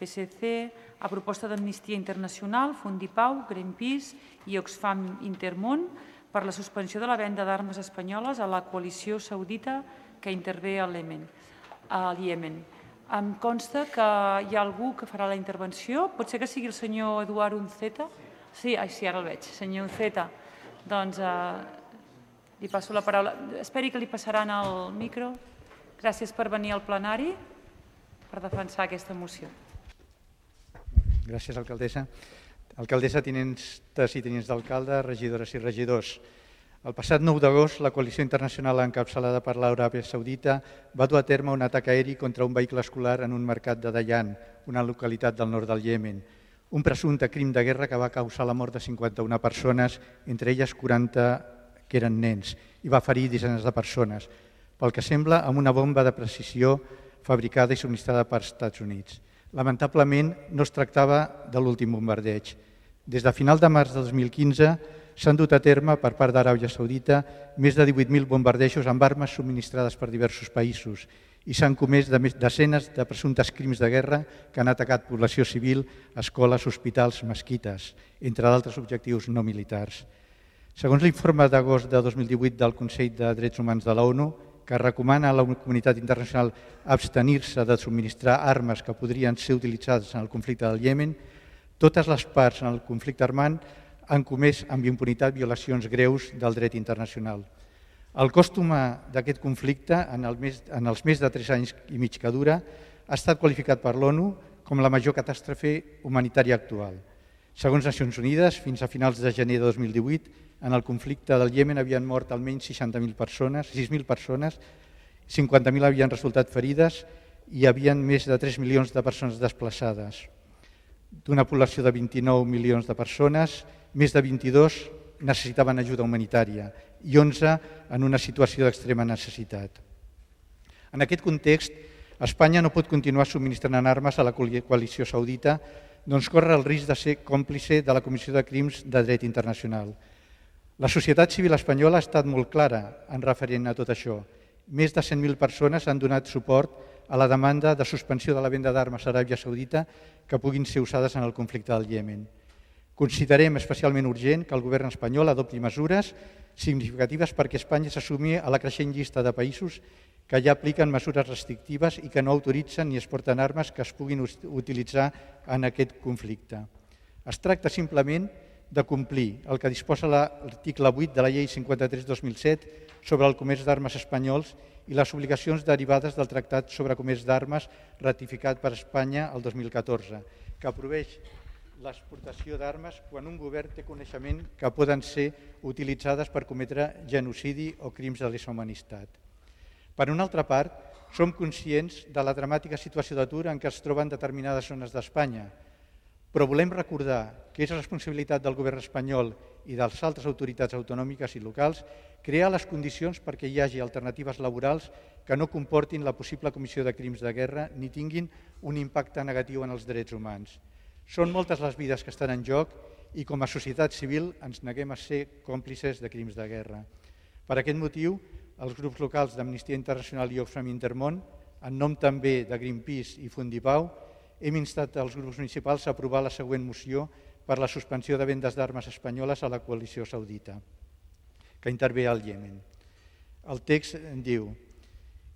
PSC, a proposta d'Amnistia Internacional, Fundipau, Greenpeace i Oxfam Intermón per la suspensió de la venda d'armes espanyoles a la coalició saudita que intervé al Iemen. Em consta que hi ha algú que farà la intervenció. Pot ser que sigui el senyor Eduard Unceta? Sí, ara el veig. Senyor Unceta, doncs li passo la paraula. Esperi que li passaran el micro. Gràcies per venir al plenari per defensar aquesta moció. Gràcies, alcaldessa. Alcaldessa, tinents i tinents d'alcalde, regidores i regidors. El passat 9 d'agost, la coalició internacional encapçalada per l'Aràbia Saudita va dur a terme un atac aeri contra un vehicle escolar en un mercat de Dayan, una localitat del nord del Iemen. Un presumpte crim de guerra que va causar la mort de 51 persones, entre elles 40 que eren nens, i va ferir desenes de persones, pel que sembla amb una bomba de precisió fabricada i subministrada per Estats Units. Lamentablement, no es tractava de l'últim bombardeig. Des de final de març de 2015 s'han dut a terme per part d'Aràbia Saudita més de 18.000 bombardejos amb armes subministrades per diversos països i s'han comès desenes de presumptes crims de guerra que han atacat població civil, escoles, hospitals, mesquites, entre d'altres objectius no militars. Segons l'informe d'agost de 2018 del Consell de Drets Humans de l'ONU, que recomana a la comunitat internacional abstenir-se de subministrar armes que podrien ser utilitzades en el conflicte del Iemen, totes les parts en el conflicte armant han comès amb impunitat violacions greus del dret internacional. El cost humà d'aquest conflicte, en els més de 3 anys i mig que dura, ha estat qualificat per l'ONU com la major catàstrofe humanitària actual. Segons Nacions Unides, fins a finals de gener de 2018, en el conflicte del Iemen havien mort almenys 6.000 persones, 50.000 havien resultat ferides i hi havia més de 3 milions de persones desplaçades. D'una població de 29 milions de persones, més de 22 necessitaven ajuda humanitària i 11 en una situació d'extrema necessitat. En aquest context, Espanya no pot continuar subministrant armes a la coalició saudita, doncs corre el risc de ser còmplice de la Comissió de Crims de Dret Internacional. La societat civil espanyola ha estat molt clara en referent a tot això. Més de 100.000 persones han donat suport a la demanda de suspensió de la venda d'armes a Aràbia Saudita que puguin ser usades en el conflicte del Iemen. Considerem especialment urgent que el govern espanyol adopti mesures significatives perquè Espanya s'assumi a la creixent llista de països que ja apliquen mesures restrictives i que no autoritzen ni exporten armes que es puguin utilitzar en aquest conflicte. Es tracta simplement de complir el que disposa l'article 8 de la Llei 53/2007 sobre el comerç d'armes espanyols i les obligacions derivades del Tractat sobre Comerç d'Armes ratificat per Espanya el 2014, que prohibeix l'exportació d'armes quan un govern té coneixement que poden ser utilitzades per cometre genocidi o crims de lesa humanitat. Per una altra part, som conscients de la dramàtica situació d'atur en què es troben determinades zones d'Espanya, però volem recordar que és responsabilitat del govern espanyol i de les altres autoritats autonòmiques i locals crear les condicions perquè hi hagi alternatives laborals que no comportin la possible comissió de crims de guerra ni tinguin un impacte negatiu en els drets humans. Són moltes les vides que estan en joc i com a societat civil ens neguem a ser còmplices de crims de guerra. Per aquest motiu, els grups locals d'Amnistia Internacional i Oxfam Intermón, en nom també de Greenpeace i Fundipau, hem instat els grups municipals a aprovar la següent moció per la suspensió de vendes d'armes espanyoles a la coalició saudita, que intervé al Iemen. El text diu: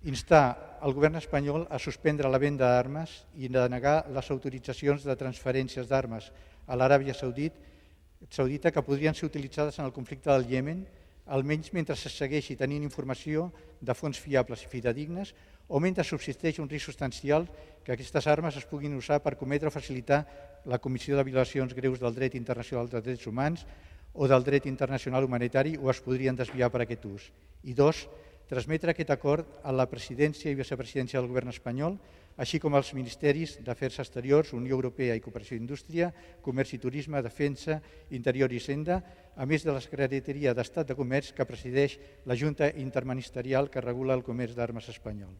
instar el govern espanyol a suspendre la venda d'armes i denegar les autoritzacions de transferències d'armes a l'Aràbia Saudita que podrien ser utilitzades en el conflicte del Iemen, almenys mentre se segueixi tenint informació de fonts fiables i fidedignes o mentre subsisteix un risc substancial que aquestes armes es puguin usar per cometre o facilitar la comissió de violacions greus del dret internacional dels drets humans o del dret internacional humanitari o es podrien desviar per aquest ús. I 2, transmetre aquest acord a la presidència i vicepresidència del govern espanyol, així com als ministeris d'Afers Exteriors, Unió Europea i Cooperació i Indústria, Comerç i Turisme, Defensa, Interior i Hisenda, a més de la Secretaria d'Estat de Comerç que presideix la Junta Interministerial que regula el comerç d'armes espanyol.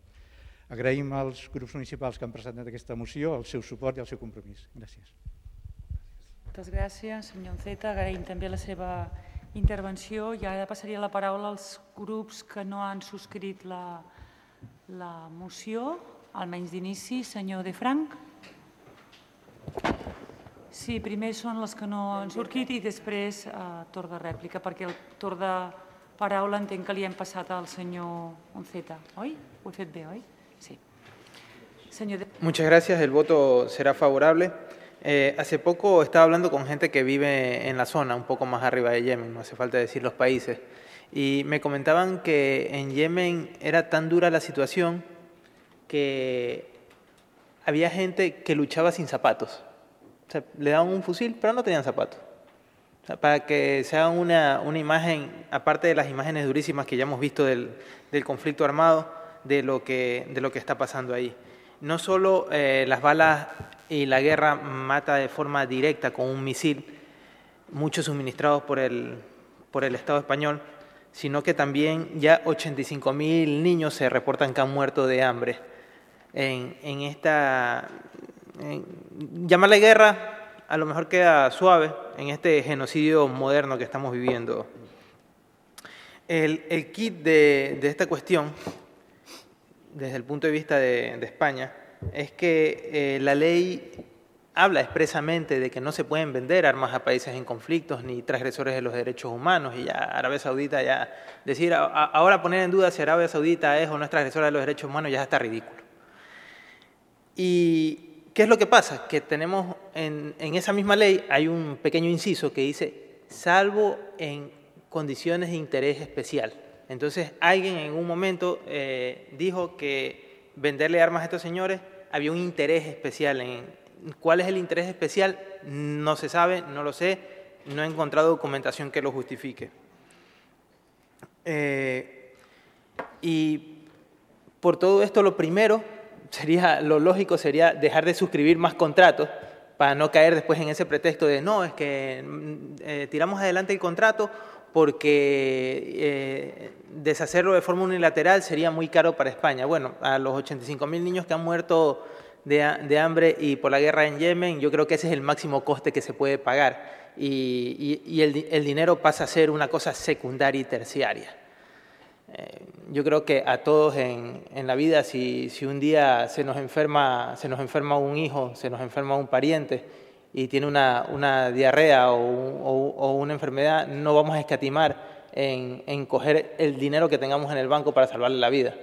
Agraïm als grups municipals que han presentat aquesta moció el seu suport i el seu compromís. Gràcies. Moltes gràcies, senyor Unceta. Agraïm també la seva intervenció i ara passaria la paraula als grups que no han subscrit la moció, almenys d'inici. Senyor De Frank. Sí, primer són les que no han sortit i després torn de rèplica, perquè el torn de paraula entenc que li hem passat al senyor Unceta, oi? Ho he fet bé, oi? Sí. Muchas gracias, el voto será favorable. Hace poco estaba hablando con gente que vive en la zona, un poco más arriba de Yemen, no hace falta decir los países, y me comentaban que en Yemen era tan dura la situación que había gente que luchaba sin zapatos. O sea, le daban un fusil, pero no tenían zapatos. O sea, para que se haga una imagen, aparte de las imágenes durísimas que ya hemos visto del conflicto armado, de lo que está pasando ahí. No solo las balas y la guerra mata de forma directa con un misil, muchos suministrados por el Estado español, sino que también ya 85.000 niños se reportan que han muerto de hambre. Llamarle guerra a lo mejor queda suave en este genocidio moderno que estamos viviendo. El kit de esta cuestión, desde el punto de vista de España, es que la ley habla expresamente de que no se pueden vender armas a países en conflictos ni transgresores de los derechos humanos, y ya Arabia Saudita, ya decir ahora poner en duda si Arabia Saudita es o no es transgresora de los derechos humanos ya está ridículo. ¿Y qué es lo que pasa? Que tenemos en esa misma ley hay un pequeño inciso que dice salvo en condiciones de interés especial. Entonces alguien en un momento dijo que venderle armas a estos señores había un interés especial. ¿Cuál es el interés especial? No se sabe, no lo sé, no he encontrado documentación que lo justifique. Y por todo esto lo primero lo lógico sería dejar de suscribir más contratos para no caer después en ese pretexto de no, es que tiramos adelante el contrato porque deshacerlo de forma unilateral sería muy caro para España. Bueno, a los 85.000 niños que han muerto de hambre y por la guerra en Yemen, yo creo que ese es el máximo coste que se puede pagar y el dinero pasa a ser una cosa secundaria y terciaria. Yo creo que a todos en la vida, si un día se nos enferma un hijo, se nos enferma un pariente y tiene una diarrea o una enfermedad, no vamos a escatimar en coger el dinero que tengamos en el banco para salvarle la vida.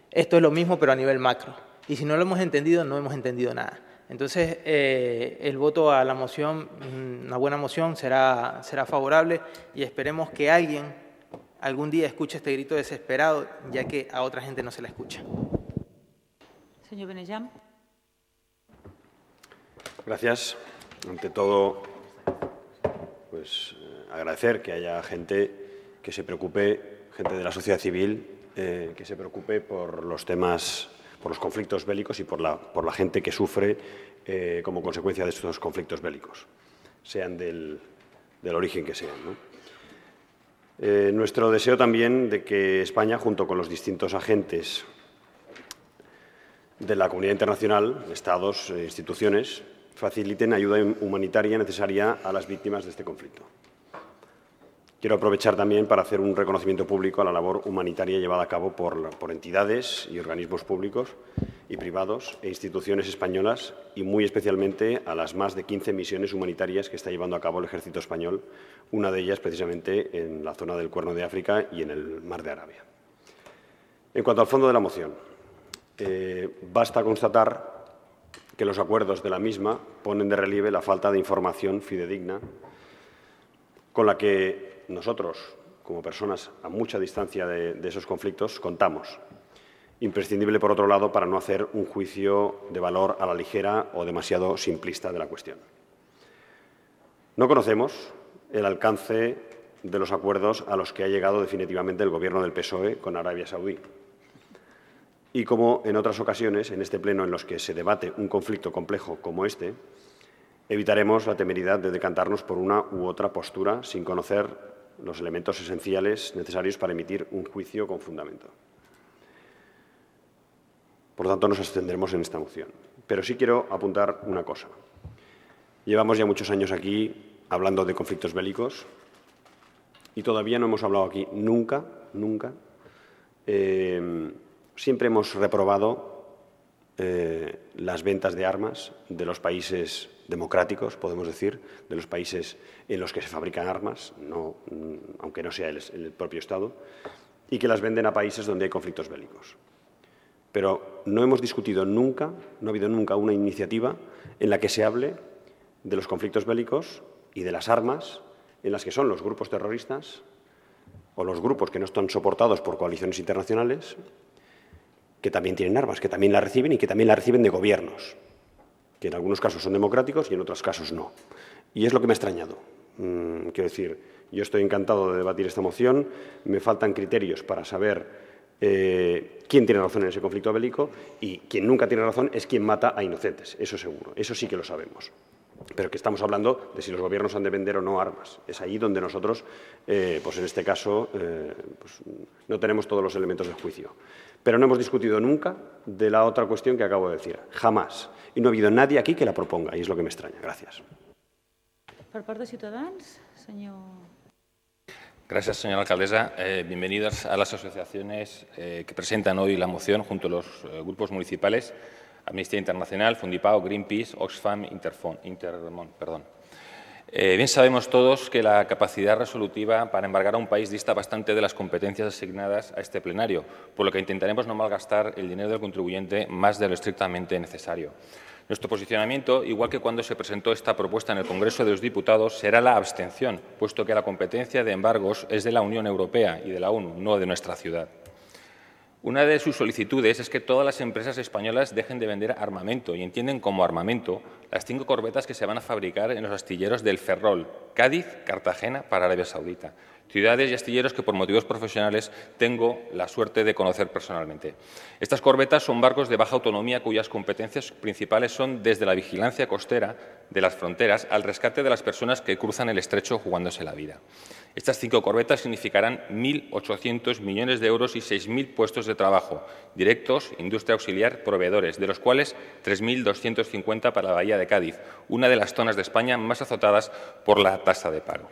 Esto es lo mismo, pero a nivel macro. Y si no lo hemos entendido, no hemos entendido nada. Entonces, el voto a la moción, una buena moción, será favorable y esperemos que alguien algún día escuche este grito desesperado, ya que a otra gente no se la escucha. Señor Benejam. Gracias. Ante todo, pues agradecer que haya gente que se preocupe, gente de la sociedad civil, que se preocupe por los temas, por los conflictos bélicos y por la gente que sufre como consecuencia de estos conflictos bélicos, sean del origen que sean, ¿no? Nuestro deseo también de que España, junto con los distintos agentes de la comunidad internacional, Estados e instituciones, faciliten ayuda humanitaria necesaria a las víctimas de este conflicto. Quiero aprovechar también para hacer un reconocimiento público a la labor humanitaria llevada a cabo por entidades y organismos públicos y privados e instituciones españolas y muy especialmente a las más de 15 misiones humanitarias que está llevando a cabo el Ejército Español, una de ellas precisamente en la zona del Cuerno de África y en el Mar de Arabia. En cuanto al fondo de la moción, basta constatar que los acuerdos de la misma ponen de relieve la falta de información fidedigna con la que nosotros, como personas a mucha distancia de esos conflictos, contamos. Imprescindible, por otro lado, para no hacer un juicio de valor a la ligera o demasiado simplista de la cuestión. No conocemos el alcance de los acuerdos a los que ha llegado definitivamente el Gobierno del PSOE con Arabia Saudí. Y como en otras ocasiones, en este pleno en los que se debate un conflicto complejo como este, evitaremos la temeridad de decantarnos por una u otra postura sin conocer los elementos esenciales necesarios para emitir un juicio con fundamento. Por lo tanto, nos abstendremos en esta moción. Pero sí quiero apuntar una cosa. Llevamos ya muchos años aquí hablando de conflictos bélicos y todavía no hemos hablado aquí nunca, siempre hemos reprobado las ventas de armas de los países democráticos, podemos decir, de los países en los que se fabrican armas, aunque no sea el propio Estado, y que las venden a países donde hay conflictos bélicos. Pero no hemos discutido nunca, no ha habido nunca una iniciativa en la que se hable de los conflictos bélicos y de las armas en las que son los grupos terroristas o los grupos que no están soportados por coaliciones internacionales, que también tienen armas, que también las reciben y que también las reciben de gobiernos, que en algunos casos son democráticos y en otros casos no. Y es lo que me ha extrañado. Quiero decir, yo estoy encantado de debatir esta moción, me faltan criterios para saber quién tiene razón en ese conflicto bélico, y quien nunca tiene razón es quien mata a inocentes, eso seguro, eso sí que lo sabemos. Pero que estamos hablando de si los gobiernos han de vender o no armas. Es ahí donde nosotros, pues en este caso, pues no tenemos todos los elementos de juicio. Pero no hemos discutido nunca de la otra cuestión que acabo de decir, jamás. Y no ha habido nadie aquí que la proponga, y es lo que me extraña. Gracias. Per part de Ciutadans, senyor... Gracias, señora alcaldesa. Bienvenidos a las asociaciones que presentan hoy la moción junto a los grupos municipales Amnistía Internacional, Fundipau, Greenpeace, Oxfam, Intermon. Bien sabemos todos que la capacidad resolutiva para embargar a un país dista bastante de las competencias asignadas a este plenario, por lo que intentaremos no malgastar el dinero del contribuyente más de lo estrictamente necesario. Nuestro posicionamiento, igual que cuando se presentó esta propuesta en el Congreso de los Diputados, será la abstención, puesto que la competencia de embargos es de la Unión Europea y de la ONU, no de nuestra ciudad. Una de sus solicitudes es que todas las empresas españolas dejen de vender armamento y entienden como armamento las 5 corbetas que se van a fabricar en los astilleros del Ferrol, Cádiz, Cartagena, para Arabia Saudita. Ciudades y astilleros que por motivos profesionales tengo la suerte de conocer personalmente. Estas corbetas son barcos de baja autonomía cuyas competencias principales son desde la vigilancia costera de las fronteras al rescate de las personas que cruzan el estrecho jugándose la vida. Estas 5 corbetas significarán 1.800 millones de euros y 6.000 puestos de trabajo, directos, industria auxiliar, proveedores, de los cuales 3.250 para la Bahía de Cádiz, una de las zonas de España más azotadas por la tasa de paro.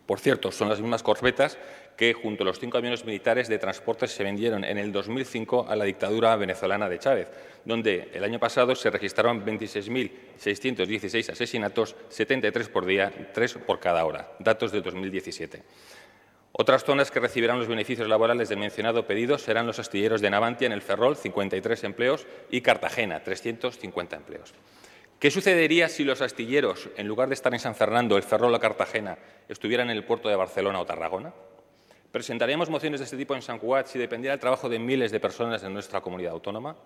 Por cierto, son las mismas corbetas que, junto a los 5 aviones militares de transporte, se vendieron en el 2005 a la dictadura venezolana de Chávez, donde el año pasado se registraron 26.616 asesinatos, 73 por día, 3 por cada hora, datos de 2017. Otras zonas que recibirán los beneficios laborales del mencionado pedido serán los astilleros de Navantia en el Ferrol, 53 empleos, y Cartagena, 350 empleos. ¿Qué sucedería si los astilleros, en lugar de estar en San Fernando, el Ferrol o Cartagena, estuvieran en el puerto de Barcelona o Tarragona? ¿Presentaríamos mociones de este tipo en Sant Cugat si dependiera el trabajo de miles de personas en nuestra comunidad autónoma?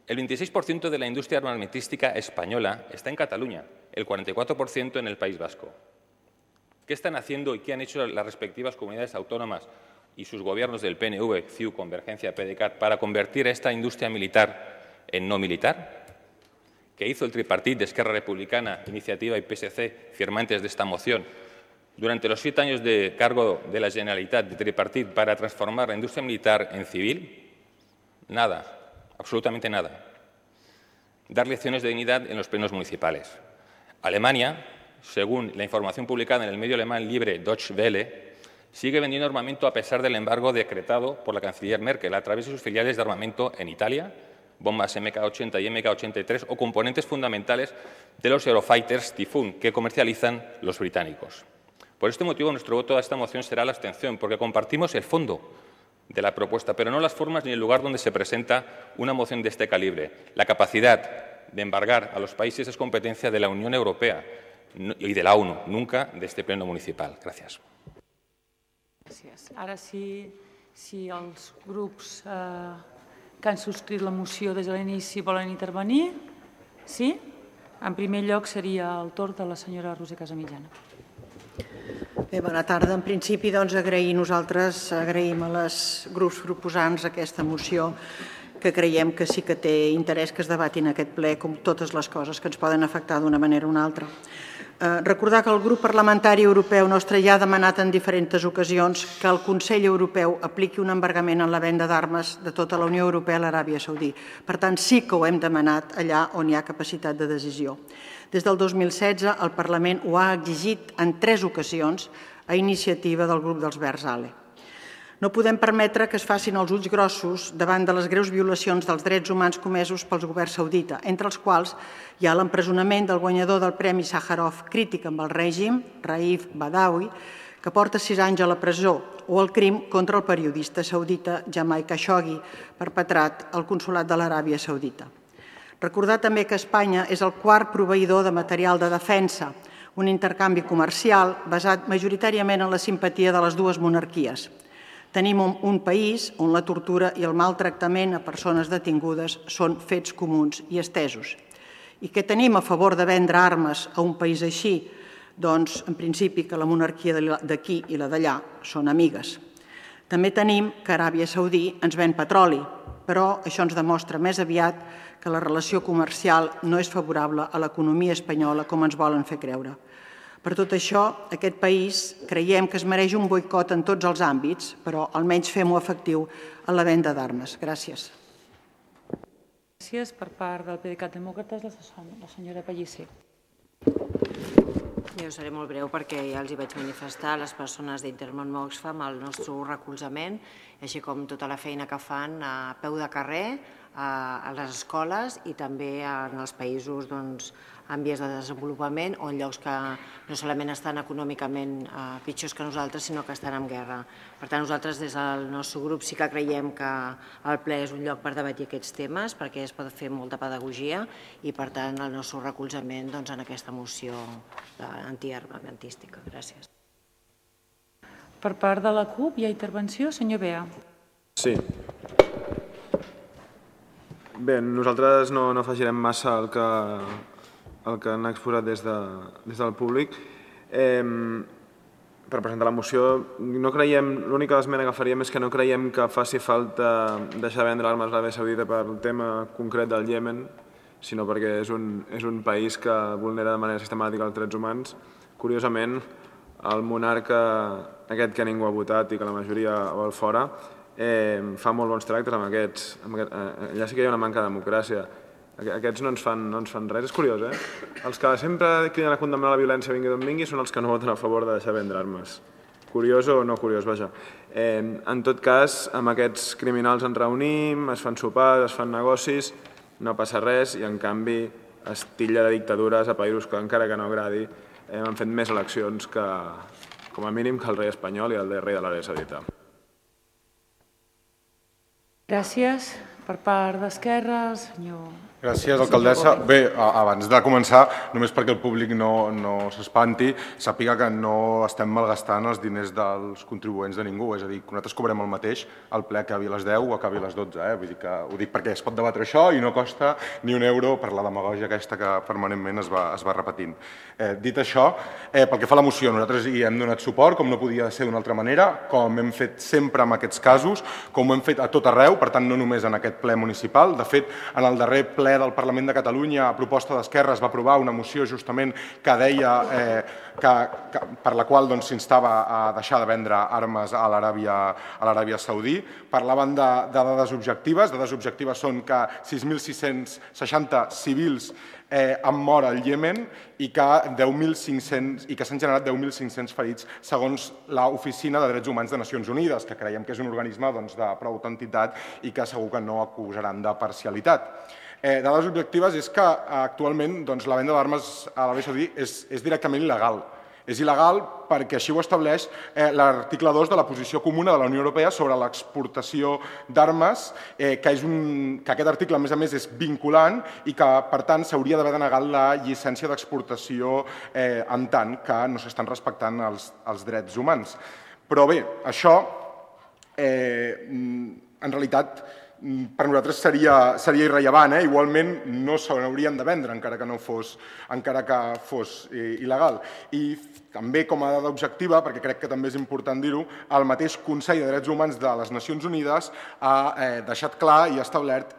El 26% de la industria armamentística española está en Cataluña, el 44% en el País Vasco. ¿Qué están haciendo y qué han hecho las respectivas comunidades autónomas y sus gobiernos del PNV, CiU, Convergencia, PDeCAT para convertir a esta industria militar en no militar? ¿Qué hizo el tripartit de Esquerra Republicana, Iniciativa y PSC, firmantes de esta moción, durante los 7 años de cargo de la Generalitat de tripartit para transformar la industria militar en civil? Nada, absolutamente nada. Dar lecciones de dignidad en los plenos municipales. Alemania, según la información publicada en el medio alemán libre Deutsche Welle, sigue vendiendo armamento a pesar del embargo decretado por la canciller Merkel a través de sus filiales de armamento en Italia, bombas MK-80 y MK-83 o componentes fundamentales de los Eurofighters Typhoon que comercializan los británicos. Por este motivo, nuestro voto a esta moción será la abstención, porque compartimos el fondo de la propuesta, pero no las formas ni el lugar donde se presenta una moción de este calibre. La capacidad de embargar a los países es competencia de la Unión Europea y de la ONU, nunca de este pleno municipal. Gràcies. Gràcies. Ara si els grups que han subscrit la moció des de l'inici volen intervenir. Sí? En primer lloc seria el torn de la senyora Roser Casamitjana. Bé, bona tarda. En principi, doncs, nosaltres agraïm als grups proposants aquesta moció, que creiem que sí que té interès que es debati en aquest ple, com totes les coses que ens poden afectar d'una manera o una altra. Recordar que el grup parlamentari europeu nostre ja ha demanat en diferents ocasions que el Consell Europeu apliqui un embargament en la venda d'armes de tota la Unió Europea a l'Aràbia Saudí. Per tant, sí que ho hem demanat allà on hi ha capacitat de decisió. Des del 2016, el Parlament ho ha exigit en 3 ocasions a iniciativa del grup dels Verds ALE. No podem permetre que es facin els ulls grossos davant de les greus violacions dels drets humans comesos pel govern saudita, entre els quals hi ha l'empresonament del guanyador del Premi Sàjarov crític amb el règim, Raif Badawi, que porta 6 anys a la presó, o el crim contra el periodista saudita Jamal Khashoggi, perpetrat al Consolat de l'Aràbia Saudita. Recordar també que Espanya és el quart proveïdor de material de defensa, un intercanvi comercial basat majoritàriament en la simpatia de les dues monarquies. Tenim un país on la tortura i el maltractament a persones detingudes són fets comuns i estesos. I què tenim a favor de vendre armes a un país així? Doncs, en principi, que la monarquia d'aquí i la d'allà són amigues. També tenim que Aràbia Saudí ens ven petroli, però això ens demostra més aviat que la relació comercial no és favorable a l'economia espanyola com ens volen fer creure. Per tot això, aquest país creiem que es mereix un boicot en tots els àmbits, però almenys fem-ho efectiu en la venda d'armes. Gràcies. Gràcies. Per part del PDeCAT Demòcrates, la senyora Pellicer. Jo seré molt breu perquè ja els hi vaig manifestar a les persones d'Intermón Oxfam el nostre recolzament, així com tota la feina que fan a peu de carrer, a les escoles i també en els països en vies de desenvolupament o en llocs que no solament estan econòmicament pitjors que nosaltres, sinó que estan en guerra. Per tant, nosaltres des del nostre grup sí que creiem que el ple és un lloc per debatir aquests temes, perquè es pot fer molta pedagogia i, per tant, el nostre recolzament en aquesta moció antiarmamentística. Gràcies. Per part de la CUP hi ha intervenció. Senyor Bea. Sí. Bé, nosaltres no afegirem massa el que han exposat des del públic. Per presentar la moció, l'única esmena que faríem és que no creiem que faci falta deixar de vendre armes a l'Aràbia Saudita pel tema concret del Iemen, sinó perquè és un país que vulnera de manera sistemàtica els drets humans. Curiosament, el monarca aquest que ningú ha votat i que la majoria vol fora, fa molt bons tractes amb aquests. Allà sí que hi ha una manca de democràcia. Aquests no ens fan res. És curiós, eh? Els que sempre criden a condemnar la violència vingui d'on vingui són els que no voten a favor de deixar vendre armes. Curiós o no curiós, vaja. En tot cas, amb aquests criminals ens reunim, es fan sopars, es fan negocis, no passa res i, en canvi, es titlla de dictadures a països que, encara que no agradi, han fet més eleccions que, com a mínim, que el rei espanyol i el rei de l'Aràbia Saudita. Gràcies. Per part d'Esquerra, senyor... Gràcies, alcaldessa. Bé, abans de començar, només perquè el públic no s'espanti, sàpiga que no estem malgastant els diners dels contribuents de ningú. És a dir, que nosaltres cobrem el mateix al ple que acabi a les 10 o acabi a les 12. Vull dir que ho dic perquè es pot debatre això i no costa ni un euro per la demagògia aquesta que permanentment es va repetint. Dit això, pel que fa a la moció, nosaltres hi hem donat suport, com no podia ser d'una altra manera, com hem fet sempre en aquests casos, com ho hem fet a tot arreu, per tant, no només en aquest ple municipal. De fet, en el darrer ple del Parlament de Catalunya, a proposta d'Esquerra, es va aprovar una moció justament que deia per la qual s'instava a deixar de vendre armes a l'Aràbia Saudí. Parlaven de dades objectives. Dades objectives són que 6.660 civils han mort al Iemen i que s'han generat 10.500 ferits segons l'Oficina de Drets Humans de Nacions Unides, que creiem que és un organisme de prou entitat i que segur que no acusaran de parcialitat. Dades objectives és que actualment la venda d'armes a l'Aràbia Saudí és directament il·legal. És il·legal perquè així ho estableix l'article 2 de la posició comuna de la Unió Europea sobre l'exportació d'armes, que aquest article, a més, és vinculant i que, per tant, s'hauria d'haver denegat la llicència d'exportació en tant que no s'estan respectant els drets humans. Però bé, això, en realitat, per nosaltres seria irrellevant. Igualment no se n'haurien de vendre, encara que fos il·legal. I també, com a dada objectiva, perquè crec que també és important dir-ho, el mateix Consell de Drets Humans de les Nacions Unides ha deixat clar i ha establert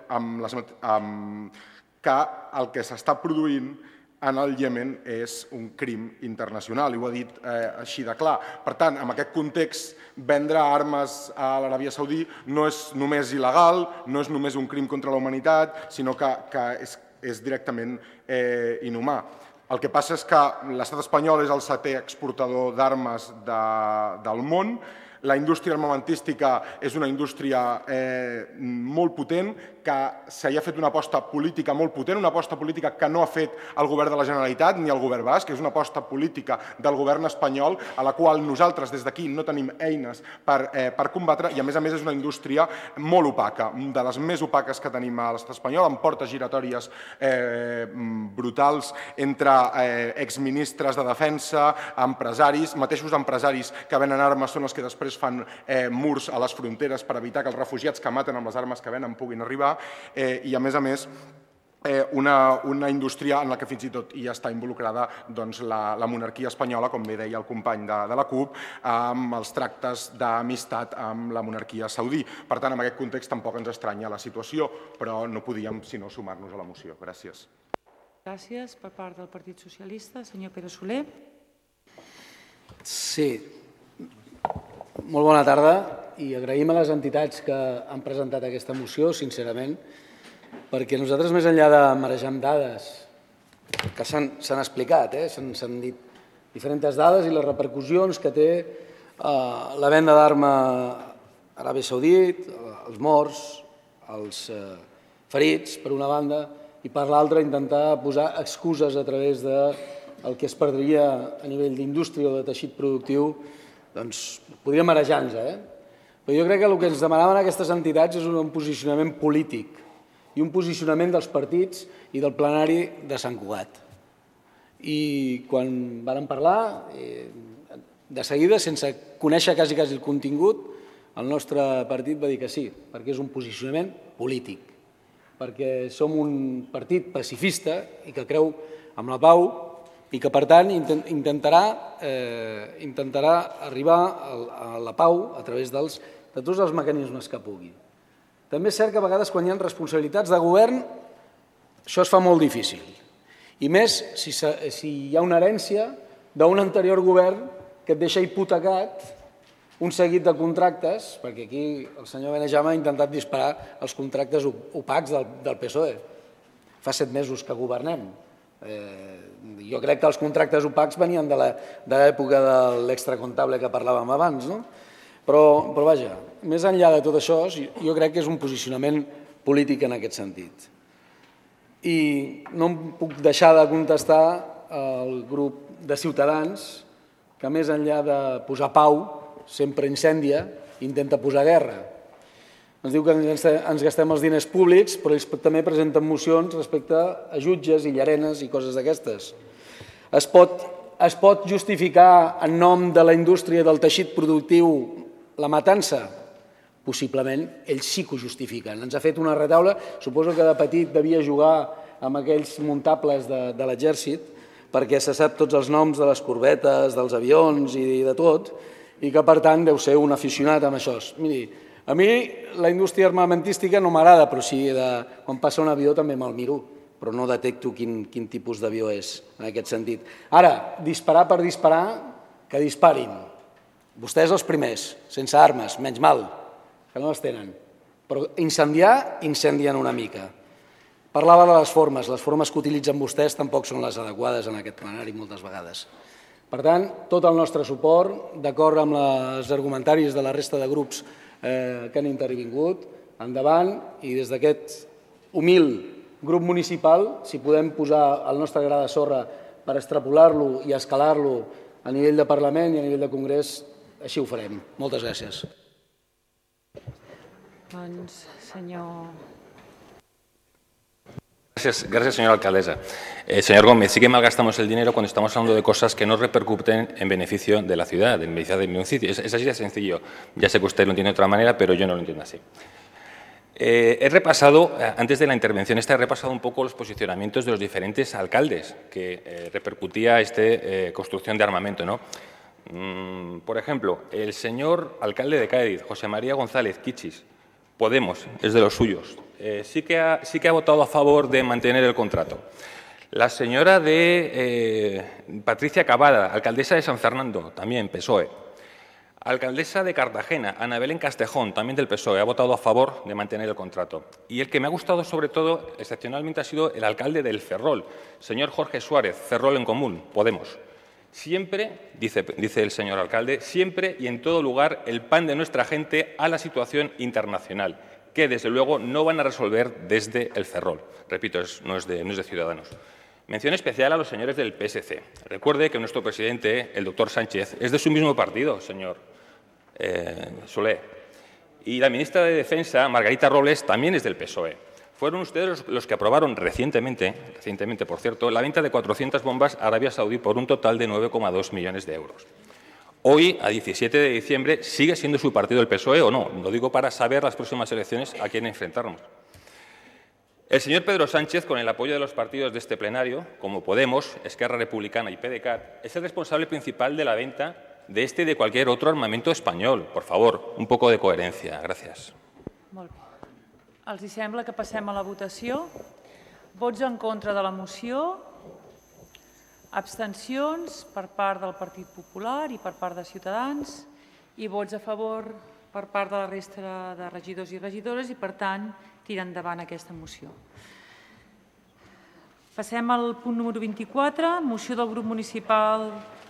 que el que s'està produint en el Iemen és un crim internacional, i ho ha dit així de clar. Per tant, en aquest context, vendre armes a l'Aràbia Saudí no és només il·legal, no és només un crim contra la humanitat, sinó que és directament inhumà. El que passa és que l'estat espanyol és el 7è exportador d'armes del món. La indústria armamentística és una indústria molt potent, que s'hi ha fet una aposta política molt potent, una aposta política que no ha fet el govern de la Generalitat ni el govern basc, que és una aposta política del govern espanyol, a la qual nosaltres des d'aquí no tenim eines per combatre, i a més és una indústria molt opaca, de les més opaques que tenim a l'estat espanyol, amb portes giratòries brutals entre exministres de defensa, empresaris, mateixos empresaris que venen armes són els que després fan murs a les fronteres per evitar que els refugiats que maten amb les armes que venen puguin arribar, i a més una indústria en la que fins i tot hi està involucrada la monarquia espanyola, com bé deia el company de la CUP, amb els tractes d'amistat amb la monarquia saudí. Per tant, en aquest context tampoc ens estranya la situació, però no podíem sinó sumar-nos a la moció. Gràcies. Gràcies. Per part del Partit Socialista, senyor Pere Soler. Sí. Molt bona tarda i agraïm a les entitats que han presentat aquesta moció, sincerament, perquè nosaltres, més enllà de marejar amb dades que s'han explicat, s'han dit diferents dades i les repercussions que té la venda d'arma a Aràbia Saudita, els morts, els ferits, per una banda, i per l'altra intentar posar excuses a través del que es perdria a nivell d'indústria o de teixit productiu, doncs podria marejar-nos, Però jo crec que el que ens demanaven aquestes entitats és un posicionament polític i un posicionament dels partits i del plenari de Sant Cugat. I quan vàrem parlar, de seguida, sense conèixer quasi el contingut, el nostre partit va dir que sí, perquè és un posicionament polític, perquè som un partit pacifista i que creu en la pau i que, per tant, intentarà arribar a la pau a través de tots els mecanismes que pugui. També és cert que a vegades, quan hi ha responsabilitats de govern, això es fa molt difícil. I més si hi ha una herència d'un anterior govern que et deixa hipotecat un seguit de contractes, perquè aquí el senyor Benejama ha intentat disparar els contractes opacs del PSOE. Fa 7 mesos que governem. Jo crec que els contractes opacs venien de l'època de l'extracomptable que parlàvem abans, no? Però vaja, més enllà de tot això, jo crec que és un posicionament polític en aquest sentit. I no em puc deixar de contestar al grup de Ciutadans que, més enllà de posar pau, sempre incendia i intenta posar guerra. Ens diu que ens gastem els diners públics, però ells també presenten mocions respecte a jutges i llarenes i coses d'aquestes. Es pot justificar en nom de la indústria del teixit productiu la matança? Possiblement, ells sí que ho justifiquen. Ens ha fet una retaula, suposo que de petit devia jugar amb aquells muntables de l'exèrcit, perquè se sap tots els noms de les corbetes, dels avions i de tot, i que, per tant, deu ser un aficionat amb això. Miri, a mi la indústria armamentística no m'agrada, però sí, quan passa un avió també me'l miro, però no detecto quin tipus d'avió és, en aquest sentit. Ara, disparar per disparar, que disparin. Vostès els primers, sense armes, menys mal, que no les tenen. Però incendiar, incendien una mica. Parlava de les formes que utilitzen vostès tampoc són les adequades en aquest plenari moltes vegades. Per tant, tot el nostre suport, d'acord amb els argumentaris de la resta de grups que han intervingut, endavant, i des d'aquest humil grup municipal, si podem posar el nostre gra de sorra per extrapolar-lo i escalar-lo a nivell de Parlament i a nivell de Congrés, així ho farem. Moltes gràcies. Doncs, senyor... Gracias, señora alcaldesa. Señor Gómez, sí que malgastamos el dinero cuando estamos hablando de cosas que no repercuten en beneficio de la ciudad, en beneficio del municipio. Es así de sencillo. Ya sé que usted lo entiende de otra manera, pero yo no lo entiendo así. He repasado, antes de la intervención he repasado un poco los posicionamientos de los diferentes alcaldes que repercutía esta construcción de armamento, ¿no? Por ejemplo, el señor alcalde de Cádiz, José María González Quichis, Podemos, es de los suyos. Sí que ha votado a favor de mantener el contrato. La señora Patricia Cavada, alcaldesa de San Fernando, también PSOE. Alcaldesa de Cartagena, Ana Belén Castejón, también del PSOE, ha votado a favor de mantener el contrato. Y el que me ha gustado sobre todo, excepcionalmente, ha sido el alcalde del Ferrol, señor Jorge Suárez, Ferrol en Común, Podemos, Siempre, dice el señor alcalde, siempre y en todo lugar el pan de nuestra gente a la situación internacional, que desde luego no van a resolver desde el Ferrol. Repito, no es de Ciudadanos. Mención especial a los señores del PSC. Recuerde que nuestro presidente, el doctor Sánchez, es de su mismo partido, señor Soler. Y la ministra de Defensa, Margarita Robles, también es del PSOE. Fueron ustedes los que aprobaron recientemente, por cierto, la venta de 400 bombas a Arabia Saudí por un total de 9,2 millones de euros. Hoy, a 17 de diciembre, ¿sigue siendo su partido el PSOE o no? Lo digo para saber las próximas elecciones a quién enfrentarnos. El señor Pedro Sánchez, con el apoyo de los partidos de este plenario, como Podemos, Esquerra Republicana y PDeCAT, es el responsable principal de la venta de este y de cualquier otro armamento español. Por favor, un poco de coherencia. Gracias. Molt bé. Els sembla que passem a la votació? Vots en contra de la moció? Abstencions per part del Partit Popular i per part de Ciutadans? I vots a favor per part de la resta de regidors i regidores i, per tant, tira endavant aquesta moció. Passem al punt número 24, moció del grup municipal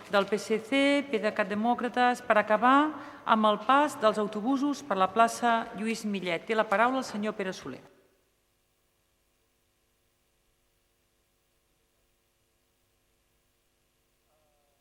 del PSC, PDeCAT Demòcrates, per acabar amb el pas dels autobusos per la plaça Lluís Millet. Té la paraula el senyor Pere Soler.